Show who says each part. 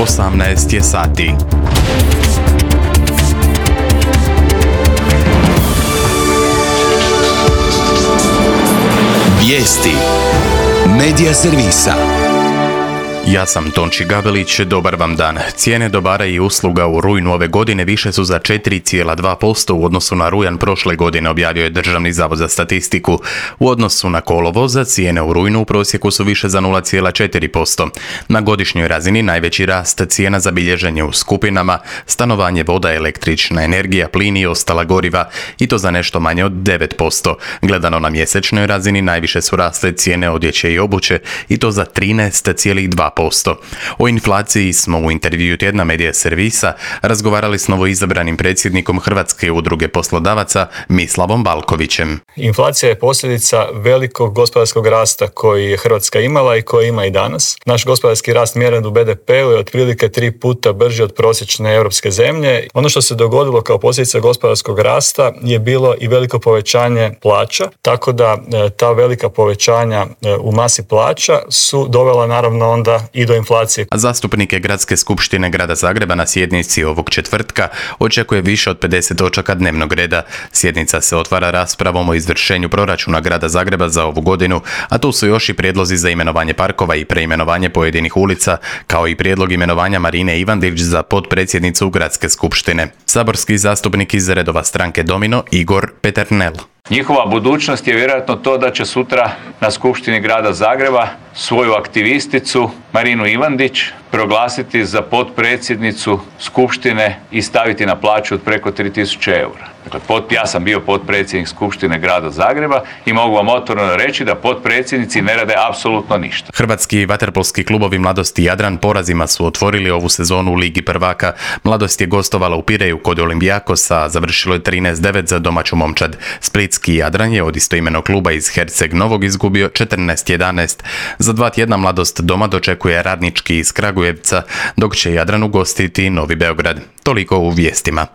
Speaker 1: 18 je sati.
Speaker 2: Vijesti Medija servisa.
Speaker 1: Ja sam Tonči Gavelić, dobar vam dan. Cijene dobara i usluga u rujnu ove godine više su za 4,2% u odnosu na rujan prošle godine, objavio je Državni zavod za statistiku. U odnosu na kolovoza, cijene u rujnu u prosjeku su više za 0,4%. Na godišnjoj razini najveći rast cijena zabilježen je u skupinama stanovanje, voda, električna energija, plin i ostala goriva, i to za nešto manje od 9%. Gledano na mjesečnoj razini najviše su rasle cijene odjeće i obuće, i to za 13,2%. O inflaciji smo u intervjuu tjedna Medija servisa razgovarali s novoizabranim predsjednikom Hrvatske udruge poslodavaca Mislavom Balkovićem.
Speaker 3: Inflacija je posljedica velikog gospodarskog rasta koji je Hrvatska imala i koji ima i danas. Naš gospodarski rast mjeren u BDP-u je otprilike 3 puta brži od prosječne europske zemlje. Ono što se dogodilo kao posljedica gospodarskog rasta je bilo i veliko povećanje plaća, tako da ta velika povećanja u masi plaća su dovela naravno onda i do inflacije.
Speaker 1: A zastupnike Gradske skupštine Grada Zagreba na sjednici ovog četvrtka očekuje više od 50 točaka dnevnog reda. Sjednica se otvara raspravom o izvršenju proračuna Grada Zagreba za ovu godinu, a tu su još i prijedlozi za imenovanje parkova i preimenovanje pojedinih ulica, kao i prijedlog imenovanja Marine Ivandić za potpredsjednicu Gradske skupštine. Saborski zastupnik iz redova stranke Domino Igor Peternel.
Speaker 4: Njihova budućnost je vjerojatno to da će sutra na Skupštini Grada Zagreba svoju aktivisticu Marinu Ivandić proglasiti za potpredsjednicu Skupštine i staviti na plaću od preko 3000 eura. Dakle, ja sam bio potpredsjednik Skupštine Grada Zagreba i mogu vam otvoreno reći da potpredsjednici ne rade apsolutno ništa.
Speaker 1: Hrvatski vaterpolski klubovi Mladost i Jadran porazima su otvorili ovu sezonu u Ligi prvaka. Mladost je gostovala u Pireju kod Olimpijakosa, a završilo je 13-9 za domaću momčad. Splitski Jadran je od istoimenog kluba iz Herceg Novog izgubio 14-11. Za 2 tjedna Mladost doma dočekuje Radnički iz Kragujevca, dok će Jadran ugostiti Novi Beograd. Toliko u vijestima.